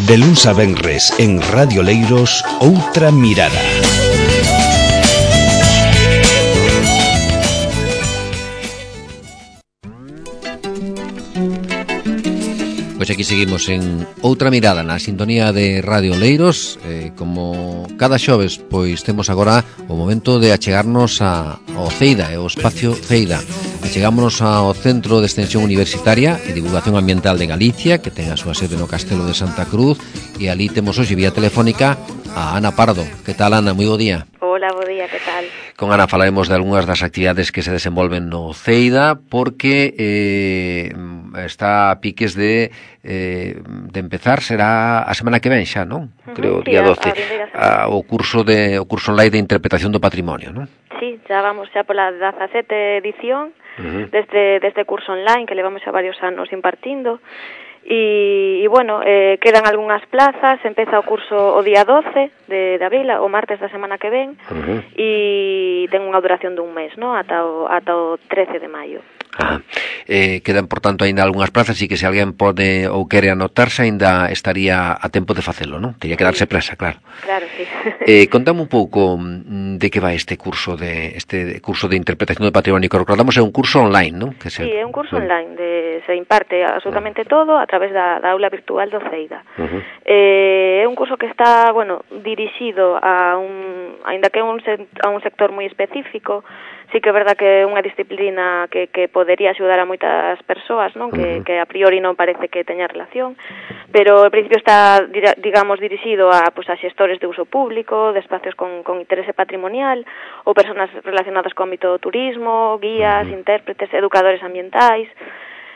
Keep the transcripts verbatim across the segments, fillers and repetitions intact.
De luns a venres en Radio Leiros, Outra Mirada. Pois aquí seguimos en Outra Mirada na sintonía de Radio Leiros. eh, Como cada xoves, pois temos agora o momento de achegarnos a, ao CEIDA, o espacio CEIDA. Achegámonos ao Centro de Extensión Universitaria e Divulgación Ambiental de Galicia, que ten a súa sede no Castelo de Santa Cruz. E ali temos hoxe vía telefónica a Ana Pardo. Que tal, Ana? Moi bo día. Hola, bo día, que tal? Con Ana falaremos de algunhas das actividades que se desenvolven no CEIDA, porque eh, está a piques de eh, de empezar, será a semana que ven xa, non? Creo, uh-huh, sí, día doce, a, a a, o curso de o curso online de interpretación do patrimonio, non? Sí, xa vamos xa pola dezasete edición uh-huh. deste, deste curso online que levamos xa varios anos impartindo. E, e bueno, eh, quedan algunhas plazas, empeza o curso o día doce de, de abril, o martes da semana que ven, uh-huh. e ten unha duración dun mes, ¿no? ata, o, ata o trece de maio. Ah, eh, quedan, por tanto, aínda algunhas plazas e que se alguén pode ou quere anotarse aínda estaría a tempo de facelo, non? Tería que darse presa, claro. Claro, sí. Eh, contame un pouco de que vai este curso de este curso de interpretación do patrimonio, que recordamos é un curso online, non? Que se... Sí, é un curso online, de, se imparte absolutamente todo a través da, da aula virtual do CEIDA. Uh-huh. Eh, é un curso que está, bueno, dirixido a un, aínda que é un, a un sector moi específico. Sí que é verdad que é unha disciplina que, que podería axudar a moitas persoas, non? Que, que a priori non parece que teña relación, pero ao principio está, digamos, dirixido a, pues, a xestores de uso público, de espacios con, con interese patrimonial, ou persoas relacionadas co ámbito do turismo, guías, intérpretes, educadores ambientais.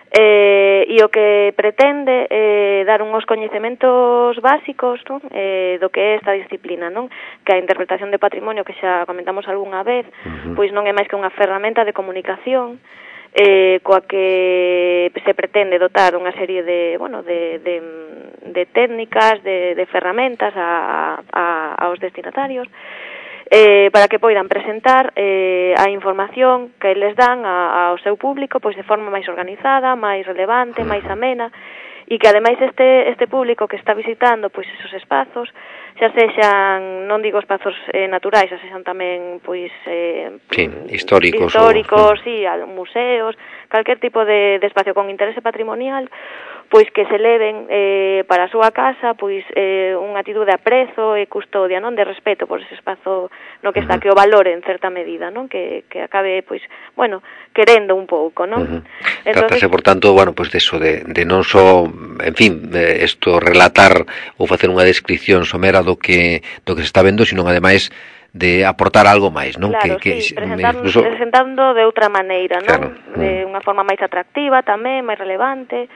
Eh, e o que pretende é eh, dar uns coñecementos básicos, non? Eh, do que é esta disciplina, non? Que a interpretación de patrimonio, que xa comentamos algunha vez, uh-huh. pois non é máis que unha ferramenta de comunicación eh, coa que se pretende dotar unha serie de, bueno, de, de, de técnicas, de, de ferramentas a, a, aos destinatarios, Eh, para que poidan presentar eh, a información que eles dan a, ao seu público pois de forma máis organizada, máis relevante, máis amena, e que ademais este este público que está visitando pois esos espazos, xa sexan, non digo espazos eh, naturais, xa sexan tamén pois eh, sí, históricos, históricos, o... sí, museos, calquer tipo de, de espacio con interese patrimonial, pois que se leven eh, para a súa casa pois eh, unha atitude de aprezo e custodia, non, de respeto por ese espazo no que está, uh-huh. que o valore en certa medida, non, que, que acabe pois, bueno, querendo un pouco, non? Uh-huh. Entonces... Trátase, por tanto, bueno, pois de eso, de, de non só, en fin, isto relatar ou facer unha descripción somera do que do que se está vendo, sino ademais de aportar algo máis, non? Claro, que, sí, que presentando, incluso... presentando de outra maneira, non? Claro. De unha forma máis atractiva tamén, máis relevante,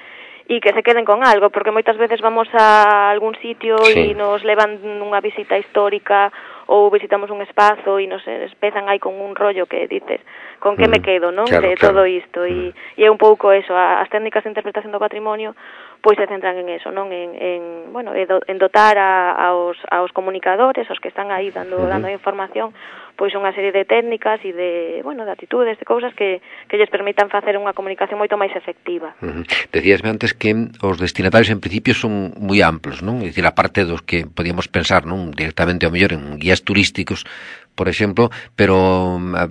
e que se queden con algo, porque moitas veces vamos a algún sitio e sí. nos levan unha visita histórica ou visitamos un espazo e nos empezan aí con un rollo que dices, con que mm, me quedo, non? Claro, de claro. todo isto, e, e é un pouco eso, as técnicas de interpretación do patrimonio pois se centran en eso, non? En, en bueno, en dotar a, aos, aos comunicadores, aos que están aí dando, uh-huh. dando información, pois unha serie de técnicas e de, bueno, de actitudes, de cousas que, que lles permitan facer unha comunicación moito máis efectiva. Uh-huh. Decíasme antes que os destinatarios en principio son moi amplos, non? É dicir, a parte dos que podíamos pensar, non? Directamente ao mellor en guías turísticos, por exemplo, pero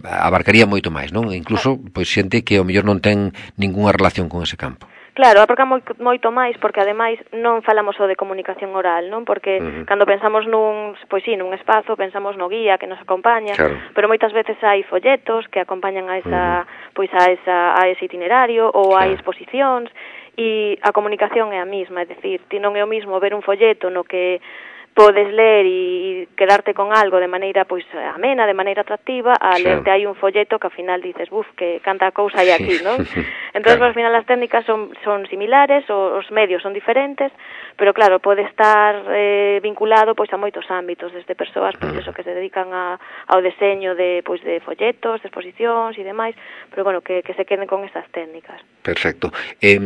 abarcaría moito máis, non? Incluso, pois, xente que ao mellor non ten ningunha relación con ese campo. Claro, abarca moito, moito máis, porque ademais non falamos só de comunicación oral, non? Porque uh-huh. cando pensamos nun, pois sí, nun espazo, pensamos no guía que nos acompaña, claro. pero moitas veces hai folletos que acompañan a esa, uh-huh. pois a esa a ese itinerario, ou claro. hai exposicións, e a comunicación é a mesma, é dicir, ti non é o mismo ver un folleto no que podes ler e quedarte con algo de maneira pois amena, de maneira atractiva, a sí. lerte aí un folleto que ao final dices, buf, que canta cousa hai aquí, sí. non? Entón, claro. ao final as técnicas son, son similares, os medios son diferentes, pero claro, pode estar eh, vinculado pois a moitos ámbitos, desde persoas pois eso que se dedican a, ao deseño de pois de folletos, de exposicións e demais, pero bueno, que, que se queden con estas técnicas. Perfecto. Eh,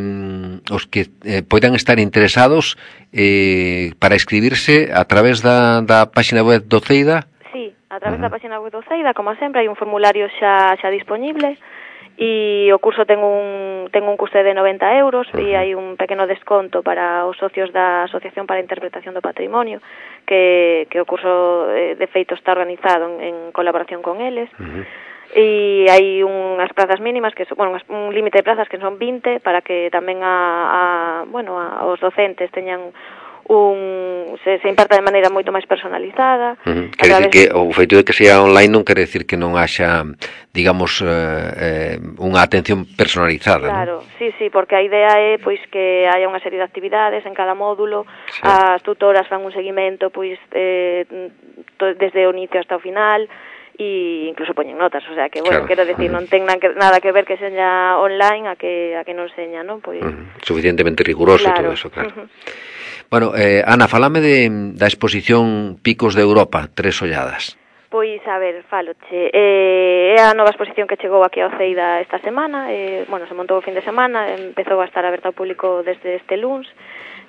os que eh, poidan estar interesados eh, para inscribirse a través da, da página web do CEIDA? Sí, a través uh-huh. da página web do CEIDA, como sempre, hai un formulario xa, xa disponible, e o curso ten un ten un custe de noventa euros e hai un pequeno desconto para os socios da Asociación para a Interpretación do Patrimonio, que, que o curso de feito está organizado en, en colaboración con eles. Uh-huh. E hai unhas plazas mínimas, que son, bueno, un límite de plazas que son vinte, para que tamén a, a bueno, a, os docentes teñan un se, se imparta de maneira moito máis personalizada. Uh-huh. Quer través... dicir que o feito de que sea online non quere decir que non haxa, digamos, eh, eh, unha atención personalizada. Claro, ¿no? sí, sí, porque a idea é pois que haya unha serie de actividades en cada módulo, sí. As tutoras fan un seguimento pois eh, desde o inicio hasta o final, e incluso poñen notas, o sea que, bueno, claro. Quero decir, non ten nada que ver que seña online a que a que non seña, non? Pois uh-huh. Suficientemente riguroso, claro. Todo eso, claro. Uh-huh. Bueno, eh, Ana, falame de, da exposición Picos de Europa, Tres Olladas. Pois, a ver, faloche. Eh, é a nova exposición que chegou aquí ao Ceida esta semana. Eh, bueno, se montou o fin de semana, empezou a estar aberta ao público desde este luns.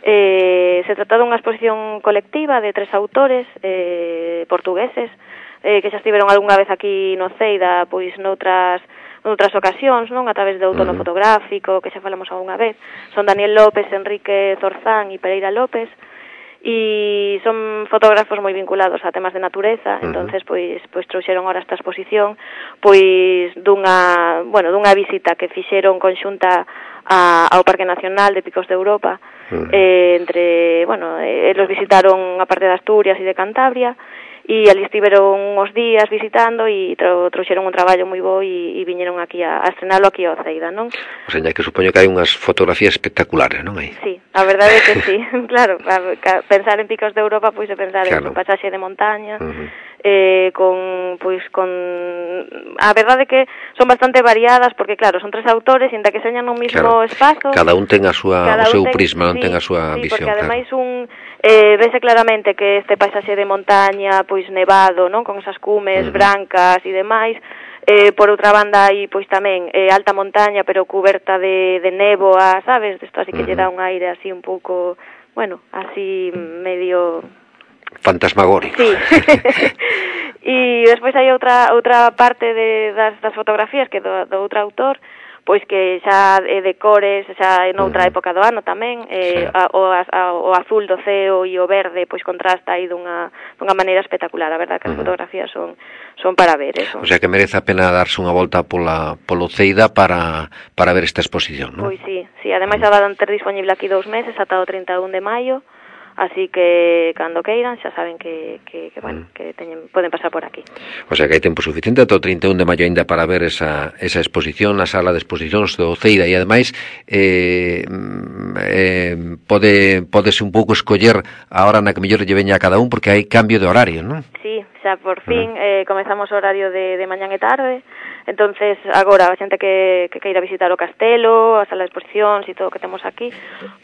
Eh, se trata dunha exposición colectiva de tres autores eh, portugueses, eh, que xa estiveron algunha vez aquí no Ceida, pois noutras... noutras ocasións, non? A través do outono uh-huh. fotográfico, que xa falamos algunha vez. Son Daniel López, Enrique Zorzán e Pereira López, e son fotógrafos moi vinculados a temas de natureza. Uh-huh. Entonces, pois, pois trouxeron ahora esta exposición, pois dunha, bueno, dunha visita que fixeron conxunta a, ao Parque Nacional de Picos de Europa. Uh-huh. eh, entre, bueno, eh, eles visitaron a parte de Asturias e de Cantabria, e ali estiveron uns días visitando e tro, trouxeron un traballo moi bo e, e viñeron aquí a, a estrenalo aquí ao Ceida, non? O sea, que supoño que hai unhas fotografías espectaculares, non hai? Sí, a verdade é que sí, claro, a, a, pensar en Picos de Europa, pois é pensar claro. En un pasaxe de montaña, uh-huh. eh, con, pois, con... A verdade é que son bastante variadas, porque claro, son tres autores, inda que señan no mismo claro. Espazo. Cada un ten a súa, o seu ten, prisma, non sí, ten a súa sí, visión. Porque ademais claro. un... Eh, vese claramente que este paisaxe de montaña, pois nevado, non, con esas cumes uh-huh. brancas e demais, eh, por outra banda hai pois tamén eh, alta montaña pero cuberta de, de néboa, sabes, isto así que uh-huh. lle dá un aire así un pouco, bueno, así medio fantasmagórico. Sí. E despois hai outra outra parte de, das, das fotografías que do, do outro autor, pois que xa é de cores, xa en outra uh-huh. época do ano tamén, eh, sí. a, o, a, o azul do ceo e o verde pois contrasta aí dunha, dunha maneira espectacular. A verdade que as uh-huh. fotografías son son para ver, eso. O sea que merece a pena darse unha volta pola polo Ceida para para ver esta exposición, non? Pois sí, sí, ademais uh-huh. a van ter disponible aquí dous meses ata o trinta e un de maio. Así que cando queiran xa saben que, que, que bueno, que teñen, poden pasar por aquí. O sea que hai tempo suficiente ata o trinta e un de maio ainda para ver esa, esa exposición na sala de exposicións do Ceida e ademais eh, eh, pode podese un pouco escoller a hora na que mellor lle veña a cada un porque hai cambio de horario, non? Sí, xa por fin uh-huh. eh, comezamos o horario de, de mañán e tarde. Entonces, agora, a xente que, que queira visitar o castelo, a sala de exposicións e todo o que temos aquí,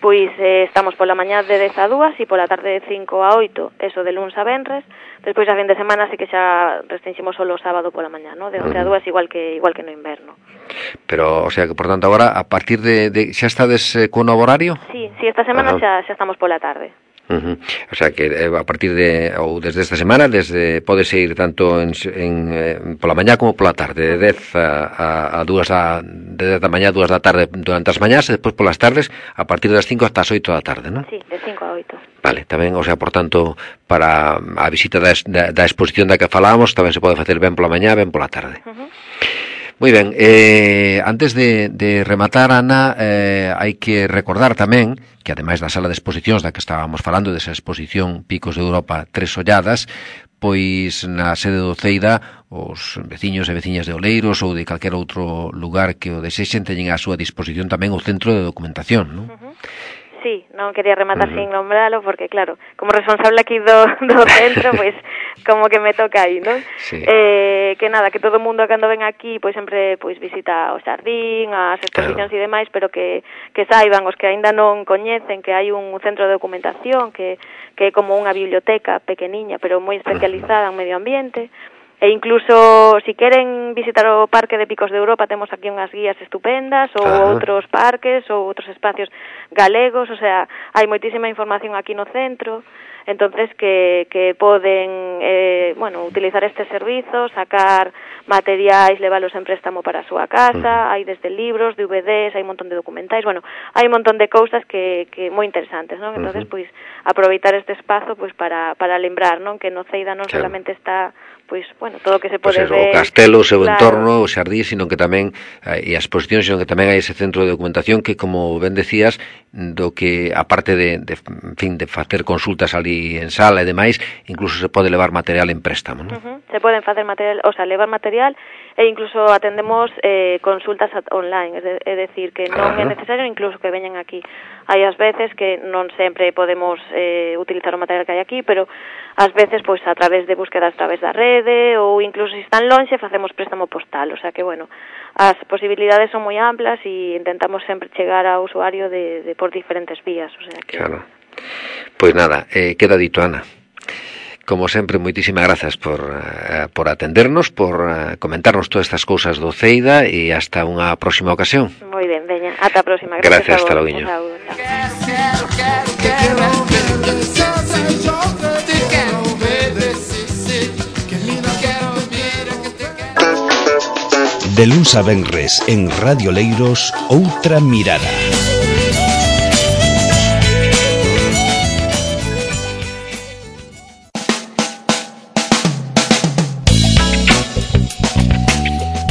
pois eh, estamos pola mañá de dez a dúas e pola tarde de cinco a oito, eso de luns a venres. Despois a fin de semana sí que xa restringimos solo o sábado pola mañá, ¿no? De once a dúas, igual que igual que no inverno. Pero, o sea, que por tanto agora, a partir de, de xa estades eh, con novo horario? Sí, sí, esta semana xa, xa estamos pola tarde. Uh-huh. O sea que eh, a partir de ou desde esta semana desde podes ir tanto en, en eh, pola mañá como pola tarde de dez a, a, a dúas da de dez da mañá a dúas da tarde durante as mañás e despois polas tardes a partir das cinco hasta as oito da tarde, non? Sí, de cinco a oito. Vale, tamén, o sea, por tanto, para a visita da, da, da exposición da que falábamos tamén se pode facer ben pola mañá, ben pola tarde. Uh-huh. Moi ben, eh, antes de, de rematar, Ana, eh, hai que recordar tamén que ademais da sala de exposicións da que estábamos falando, desa exposición Picos de Europa Tres Olladas, pois na sede do Ceida os veciños e veciñas de Oleiros ou de calquer outro lugar que o desexen teñen a súa disposición tamén o centro de documentación, non? Uh-huh. Sí, non quería rematar uh-huh. sin nombralo porque, claro, como responsable aquí do, do centro, pois, pues, como que me toca aí, non? Sí. Eh, que nada, que todo o mundo cando ven aquí, pois pues, sempre pois pues, visita o xardín, as exposicións claro. E demais, pero que, que saiban os que aínda non coñecen que hai un centro de documentación que, que é como unha biblioteca pequeniña, pero moi especializada uh-huh. en medio ambiente. E incluso, si queren visitar o Parque de Picos de Europa, temos aquí unhas guías estupendas, ou ah. outros parques, ou outros espacios galegos, o sea, hai moitísima información aquí no centro. entonces que, que poden eh, bueno, utilizar este servizo, sacar materiais, leválos en préstamo para a súa casa, hai desde libros, D V Ds, hai un montón de documentais, bueno, hai un montón de cousas que, que moi interesantes, non? Entonces, pois, aproveitar este espazo pois para, para lembrar, non? Que no Ceida non claro. solamente está pois, bueno, todo o que se pode pues eso, ver... o castelo, o seu claro. entorno, o xardín, sino que tamén, e as exposicións, sino que tamén hai ese centro de documentación que, como ben decías, do que, aparte de, de, en fin, de facer consultas ali en sala e demais, incluso se pode levar material en préstamo, non? Uh-huh. Se poden facer material, o sea, levar material e incluso atendemos eh, consultas online, é, de, é decir, que non claro. é necesario incluso que veñan aquí. Hai as veces que non sempre podemos eh, utilizar o material que hai aquí, pero ás veces, pois, a través de búsquedas a través da rede, ou incluso se están lonxe, facemos préstamo postal, o sea que, bueno, as posibilidades son moi amplas e intentamos sempre chegar ao usuario de, de por diferentes vías, o sea que... Claro. Pois nada, eh, queda dito, Ana. Como sempre, moitísimas grazas por, uh, por atendernos, por uh, comentarnos todas estas cousas do Ceida e hasta unha próxima ocasión. Moi ben, veña, ata a próxima. Gracias, gracias hasta logo. De luns a venres en Radio Leiros, Outra Mirada.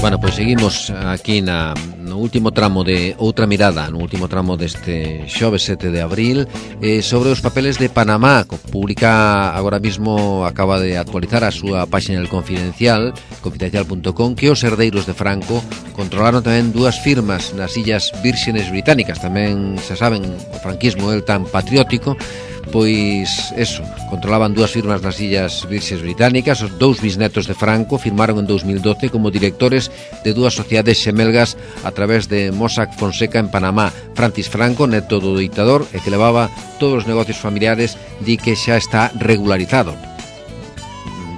Bueno, pois seguimos aquí na, no último tramo de Outra Mirada, no último tramo deste xoves sete de abril, eh, sobre os papeles de Panamá, que publica agora mismo, acaba de actualizar a súa páxina del Confidencial, confidencial punto com, que os herdeiros de Franco controlaron tamén dúas firmas nas Illas Vírxenes Británicas. Tamén, se saben, o franquismo é tan patriótico, pois eso, controlaban dúas firmas nas Illas Vírxenes Británicas. Os dous bisnetos de Franco firmaron en dous mil doce como directores de dúas sociedades xemelgas a través de Mossack Fonseca en Panamá. Francis Franco, neto do ditador e que levaba todos os negocios familiares, di que xa está regularizado.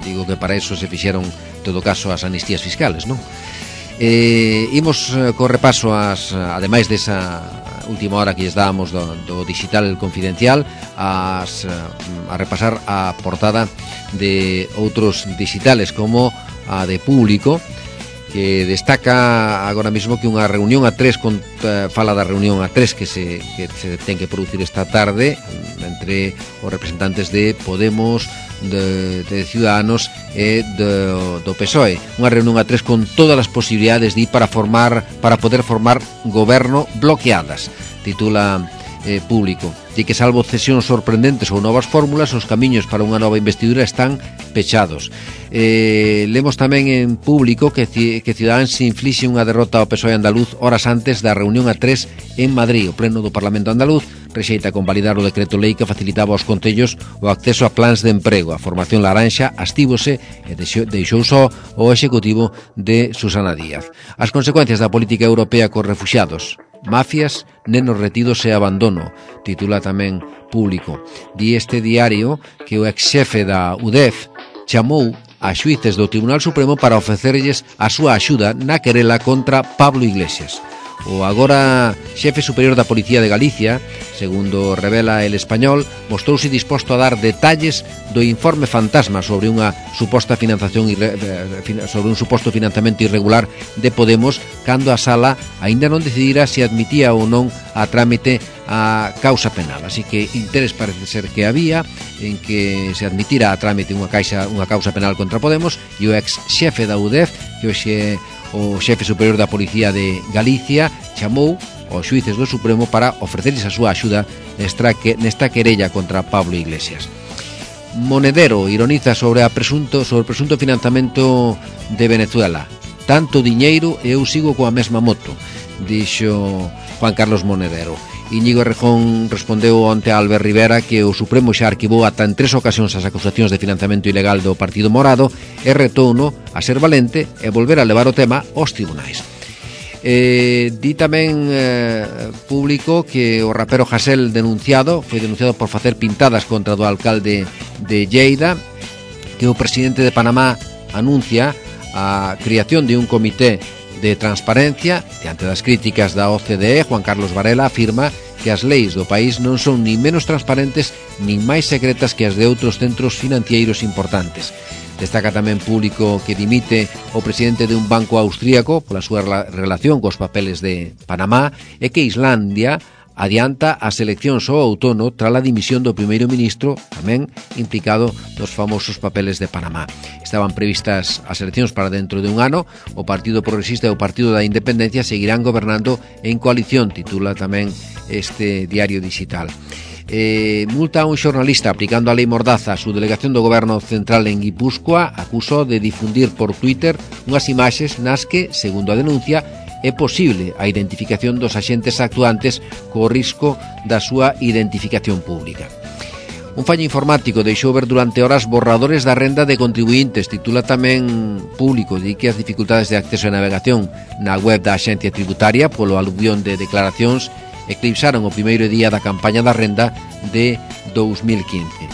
Digo que para eso se fixeron, en todo caso, as amnistías fiscales, non? Eh, imos eh, co repaso as, ademais desa última hora que lles dábamos do, do digital El Confidencial, as, a repasar a portada de outros digitales como a de Público, que destaca agora mesmo que unha reunión a tres con, uh, fala da reunión a tres que se, que se ten que producir esta tarde entre os representantes de Podemos, de, de Ciudadanos e do, do P S O E. Unha reunión a tres con todas as posibilidades de ir para formar, para poder formar goberno bloqueadas, titula eh, Público. Di que salvo cesións sorprendentes ou novas fórmulas, os camiños para unha nova investidura están pechados. Eh, lemos tamén en Público que, que Ciudadanos se inflixe unha derrota ao P S O E andaluz horas antes da reunión a tres en Madrid. O pleno do Parlamento andaluz rexeita convalidar o decreto lei que facilitaba aos concellos o acceso a plans de emprego. A formación laranxa astívose e deixou só o executivo de Susana Díaz. As consecuencias da política europea cos refuxiados, mafias, nenos retidos e abandono, titula tamén Público. Di este diario que o ex-xefe da U D E F chamou a xuíces do Tribunal Supremo para ofrecerlles a súa axuda na querela contra Pablo Iglesias. O agora xefe superior da Policía de Galicia, segundo revela El Español, mostrouse disposto a dar detalles do informe fantasma sobre unha suposta financiación irre... sobre un suposto financiamento irregular de Podemos, cando a sala aínda non decidira se admitía ou non a trámite a causa penal. Así que interés parece ser que había en que se admitira a trámite unha caixa unha causa penal contra Podemos, e o ex xefe da U D E F, que hoxe o xefe superior da Policía de Galicia, chamou aos xuíces do Supremo para ofrecerles a súa axuda nesta, que, nesta querella contra Pablo Iglesias. Monedero ironiza sobre a presunto sobre o presunto financiamento de Venezuela. Tanto diñeiro e eu sigo coa mesma moto, dixo Juan Carlos Monedero. Íñigo Errejón respondeu onte a Albert Rivera que o Supremo xa arquivou ata en tres ocasións as acusacións de financiamento ilegal do Partido Morado e retouno a ser valente e volver a levar o tema aos tribunais. Eh, di tamén eh, Público que o rapero Hasél denunciado foi denunciado por facer pintadas contra do alcalde de Lleida, que o presidente de Panamá anuncia a creación de un comité de transparencia. Diante das críticas da O C D E, Juan Carlos Varela afirma que as leis do país non son nin menos transparentes nin máis secretas que as de outros centros financeiros importantes. Destaca tamén Público que dimite o presidente de un banco austríaco pola súa relación cos papeles de Panamá e que Islandia adianta as eleccións ao outono tras a dimisión do primeiro ministro, tamén implicado nos famosos papeles de Panamá. Estaban previstas as eleccións para dentro de un ano. O Partido Progresista e o Partido da Independencia seguirán gobernando en coalición, titula tamén este diario digital. Eh, multa a un xornalista aplicando a lei Mordaza. A subdelegación do Goberno Central en Guipúzcoa acusou de difundir por Twitter unhas imaxes nas que, segundo a denuncia, é posible a identificación dos axentes actuantes co risco da súa identificación pública. Un fallo informático deixou ver durante horas borradores da renda de contribuintes, titula tamén Público, di que as dificultades de acceso e navegación na web da Axencia Tributaria polo aluvión de declaracións eclipsaron o primeiro día da campaña da renda de dous mil quince.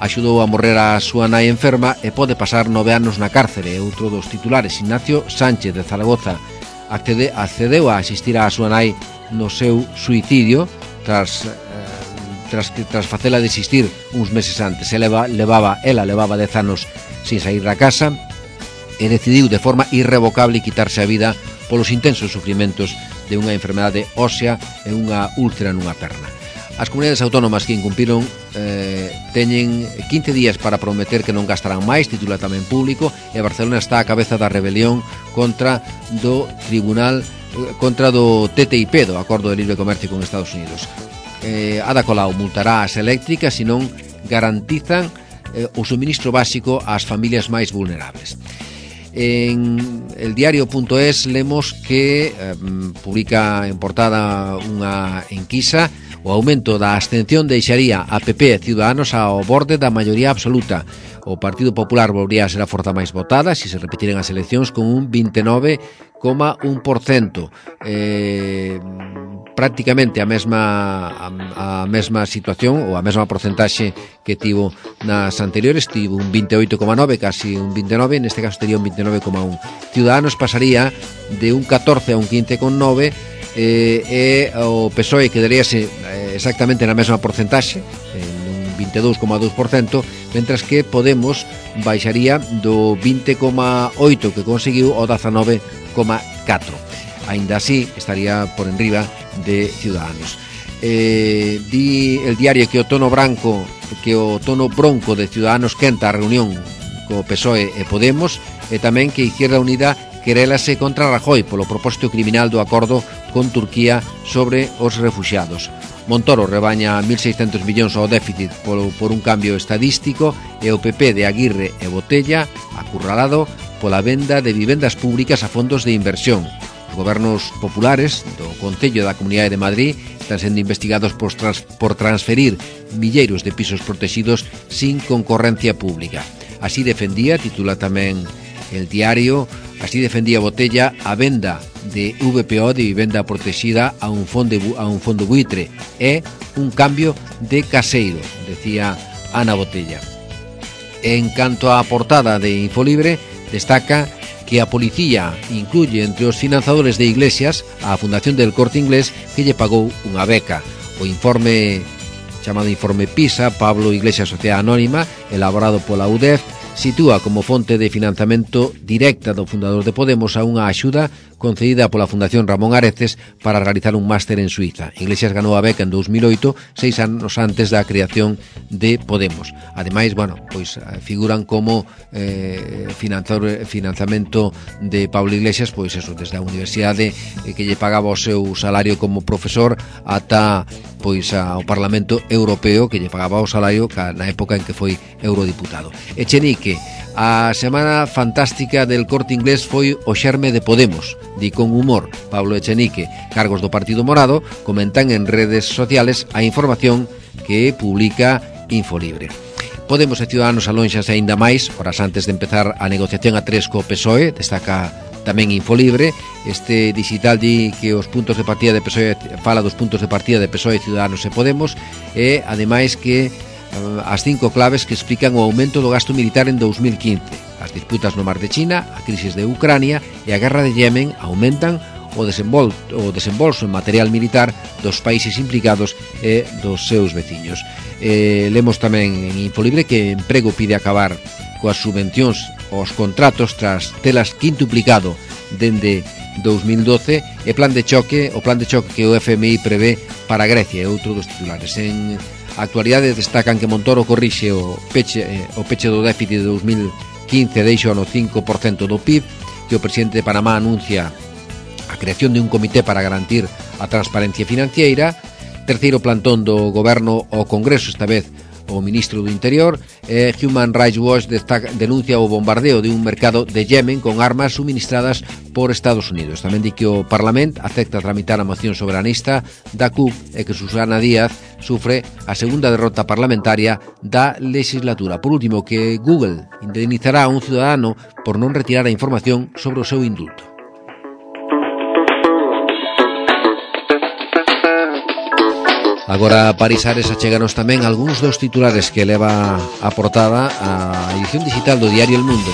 Axudou a morrer a súa nai enferma e pode pasar nove anos na cárcere. Outro dos titulares, Ignacio Sánchez de Zaragoza, accede, accedeu a asistir a súa nai no seu suicidio tras, eh, tras, tras facela desistir uns meses antes. Ela levaba, ela levaba dez anos sin sair da casa e decidiu de forma irrevocable quitarse a vida polos intensos sufrimentos de unha enfermedade ósea e unha úlcera nunha perna. As comunidades autónomas que incumpiron eh, teñen quince días para prometer que non gastarán máis, titula tamén Público, e Barcelona está á cabeza da rebelión contra do tribunal contra do T T I P, do Acordo de Libre Comercio con Estados Unidos. Eh, Ada Colau multará as eléctricas se non garantizan eh, o suministro básico ás familias máis vulnerables. En el diario.es lemos que eh, publica en portada unha enquisa: o aumento da abstención deixaría a P P e Ciudadanos ao borde da maioría absoluta. O Partido Popular volvería a ser a forza máis votada se se repetiren as eleccións con un vinte e nove coma un por cento. Eh, prácticamente a mesma a, a mesma situación ou a mesma porcentaxe que tivo nas anteriores. Tivo un vinte e oito coma nove, casi un vinte e nove, neste caso tería un vinte e nove coma un. Ciudadanos pasaría de un catorce a un quince coma nove eh, e o P S O E quedaríase eh, exactamente na mesma porcentaxe, en un vinte e dous coma dous por cento, mentras que Podemos baixaría do vinte coma oito que conseguiu ao dezanove coma catro. Ainda así estaría por enriba de Ciudadanos. Eh, di el diario que o tono branco que o tono bronco de Ciudadanos quenta a reunión co P S O E e Podemos, e tamén que Izquierda Unida querélase contra Rajoy polo propósito criminal do acordo con Turquía sobre os refuxiados. Montoro rebaña mil seiscentos millóns ao déficit por, por un cambio estadístico, e o P P de Aguirre e Botella acurralado pola venda de vivendas públicas a fondos de inversión. Os gobernos populares do Concello da Comunidade de Madrid están sendo investigados por, trans, por transferir milleiros de pisos protegidos sin concorrencia pública. Así defendía, titula tamén el diario, así defendía Botella a venda de V P O, de vivenda protegida, a un fondo, a un fondo buitre. É un cambio de caseiro, decía Ana Botella. En canto á portada de Infolibre, destaca que a policía incluye entre os financiadores de iglesias a Fundación del Corte Inglés, que lle pagou unha beca. O informe chamado Informe PISA, Pablo Iglesias Sociedade Anónima, elaborado pola U D E F, sitúa como fonte de financiamento directa do fundador de Podemos a unha axuda concedida pola Fundación Ramón Areces para realizar un máster en Suiza. Iglesias ganou a beca en dous mil oito, seis anos antes da creación de Podemos. Ademais, bueno, pois figuran como eh, financiador, financiamento de Pablo Iglesias, pois eso, desde a universidade eh, que lle pagaba o seu salario como profesor ata pois ao Parlamento Europeo, que lle pagaba o salario na época en que foi eurodiputado. Echenique, a semana fantástica del Corte Inglés foi o xerme de Podemos, di con humor Pablo Echenique. Cargos do Partido Morado comentan en redes sociales a información que publica Infolibre. Podemos e Ciudadanos alónxanse aínda máis horas antes de empezar a negociación a tres co P S O E, destaca tamén Infolibre. Este digital di que os puntos de partida de P S O E fala dos puntos de partida de P S O E, Ciudadanos e Podemos, e ademais que as cinco claves que explican o aumento do gasto militar en dous mil quince. As disputas no mar de China, a crisis de Ucrania e a guerra de Yemen aumentan o, desenvol, o desembolso en material militar dos países implicados e dos seus veciños. Eh, lemos tamén en Infolibre que Emprego pide acabar coas subvencións aos contratos tras telas quintuplicado dende dos mil doce e plan de choque, o plan de choque que o F M I prevé para Grecia é outro dos titulares. En actualidade destacan que Montoro corrixe o peche, o peche do déficit de dos mil quince deixo no cinco por cento do P I B, que o presidente de Panamá anuncia a creación de un comité para garantir a transparencia financiera. Terceiro plantón do goberno ao Congreso, esta vez o ministro do Interior. eh, Human Rights Watch destaca, denuncia o bombardeo de un mercado de Yemen con armas suministradas por Estados Unidos. Tamén di que o Parlamento acepta tramitar a moción soberanista da C U P e que Susana Díaz sufre a segunda derrota parlamentaria da legislatura. Por último, que Google indemnizará a un ciudadano por non retirar a información sobre o seu indulto. Agora Paris Ares acheganos tamén algúns dos titulares que leva a portada a edición digital do diario El Mundo.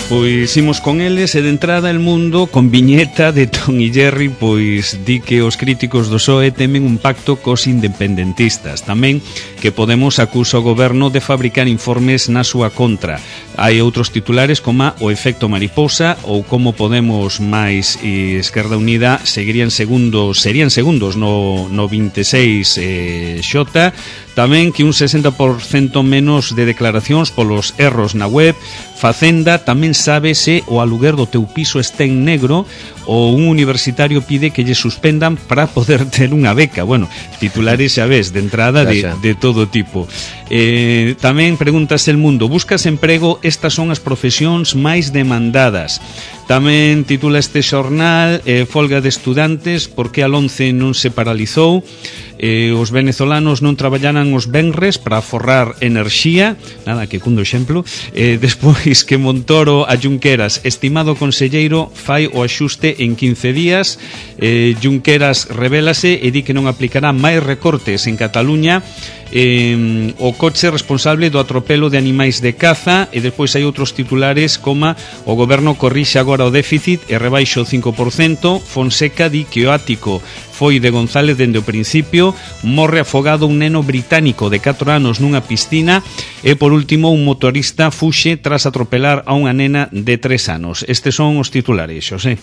Pois imos con eles e de entrada El Mundo con viñeta de Tom y Jerry, pois di que os críticos do P S O E temen un pacto cos independentistas. Tamén que Podemos acusa o goberno de fabricar informes na súa contra. Hai outros titulares como o efecto mariposa ou como Podemos máis e Esquerda Unida seguirían segundos, serían segundos no, no vinte e seis eh, Xota. Tamén que un sesenta por cento menos de declaracións polos erros na web. Facenda tamén sabe se o aluguer do teu piso está en negro ou un universitario pide que lle suspendan para poder ter unha beca. Bueno, titulares xa ves, de entrada de, de todo tipo. Eh, tamén preguntas El Mundo, buscas emprego, estas son as profesións máis demandadas. Tamén titula este xornal eh, folga de estudantes, porque a once non se paralizou. Eh, os venezolanos non traballaran os venres para forrar enerxía, nada que cundo exemplo. Eh, despois que Montoro a Junqueras, estimado conselleiro, fai o axuste en quince días. eh, Junqueras revélase e di que non aplicará máis recortes en Cataluña. Eh, o coche responsable do atropelo de animais de caza. E despois hai outros titulares como o goberno corrixe agora o déficit e rebaixa o cinco por cento. Fonseca di que o ático foi de González dende o principio. Morre afogado un neno británico de catro anos nunha piscina. E por último, un motorista fuxe tras atropelar a unha nena de tres anos. Estes son os titulares, Xosé.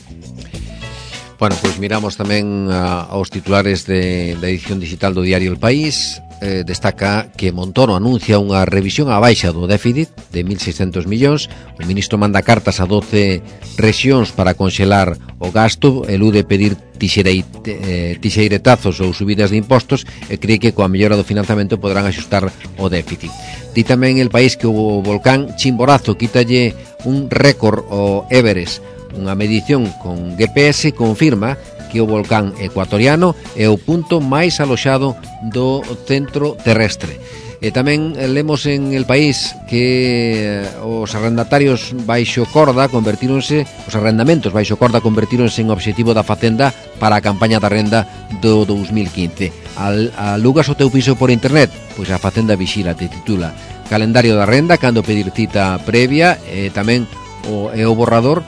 Bueno, pois miramos tamén a, aos titulares de, da edición digital do diario El País. Eh, destaca que Montoro anuncia unha revisión á baixa do déficit de mil seiscentos millóns. O ministro manda cartas a doce rexións para conxelar o gasto, elude pedir tixereit, eh, tixeiretazos ou subidas de impostos e cree que coa mellora do financiamento podrán axustar o déficit. Di tamén El País que o volcán Chimborazo quítalle un récord ao Everest. Unha medición con G P S confirma que o volcán ecuatoriano é o punto máis aloxado do centro terrestre. E tamén lemos en El País que os arrendatarios baixo corda convertíronse, os arrendamentos baixo corda convertíronse en obxectivo da Facenda para a campaña da renda do dos mil quince. Al, alugas o teu piso por internet? Pois a Facenda vixila, te titula Calendario da renda, cando pedir cita previa, e tamén o, é o borrador.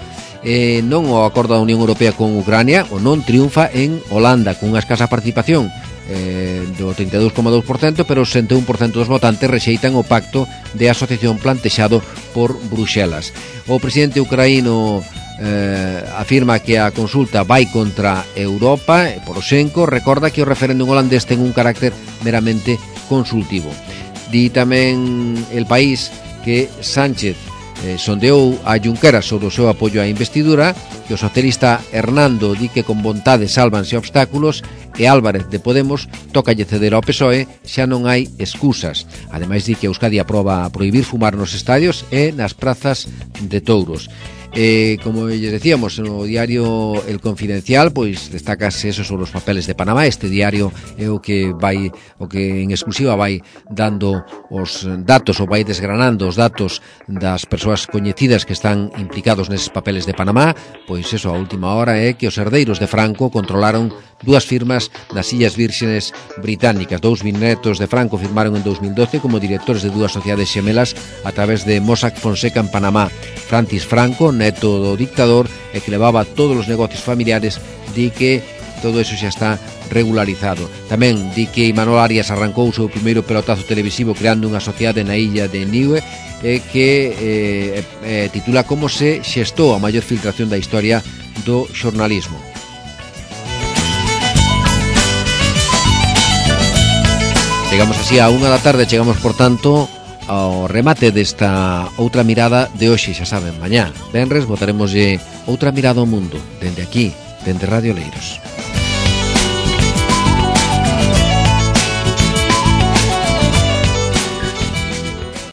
Eh, non o acordo da Unión Europea con Ucrania, o non triunfa en Holanda con unha escasa participación eh, do trinta e dous coma dous por cento, pero o sesenta e un por cento dos votantes rexeitan o pacto de asociación plantexado por Bruxelas. O presidente ucraíno eh, afirma que a consulta vai contra Europa e Poroshenko recorda que o referéndum holandés ten un carácter meramente consultivo. Di tamén El País que Sánchez Eh, sondeou a Junqueras sobre o seu apoio á investidura, que o socialista Hernando di que con vontade sálvanse obstáculos e Álvarez de Podemos tócalle ceder ao P S O E, xa non hai excusas. Ademais di que Euskadi aproba prohibir fumar nos estadios e nas prazas de touros. Eh, como les decíamos no diario El Confidencial, pois destacase eso sobre os papeles de Panamá. Este diario é o que vai, o que en exclusiva vai dando os datos, ou vai desgranando os datos das persoas coñecidas que están implicados neses papeles de Panamá. Pois eso, a última hora é que os herdeiros de Franco controlaron dúas firmas das Illas Vírgenes Británicas. Dous bisnetos de Franco firmaron en dos mil doce como directores de dúas sociedades xemelas a través de Mossack Fonseca en Panamá. Francis Franco, neto do dictador, e que levaba todos os negocios familiares di que todo eso xa está regularizado. Tamén di que Imanol Arias arrancou o seu primeiro pelotazo televisivo creando unha sociedade na illa de Niue eh, que eh, eh, titula Como se xestou a maior filtración da historia do xornalismo. Chegamos así a unha da tarde, chegamos por tanto ao remate desta outra mirada de hoxe, xa saben, mañá, venres, botaremoslle outra mirada ao mundo, dende aquí, dende Radio Leiros.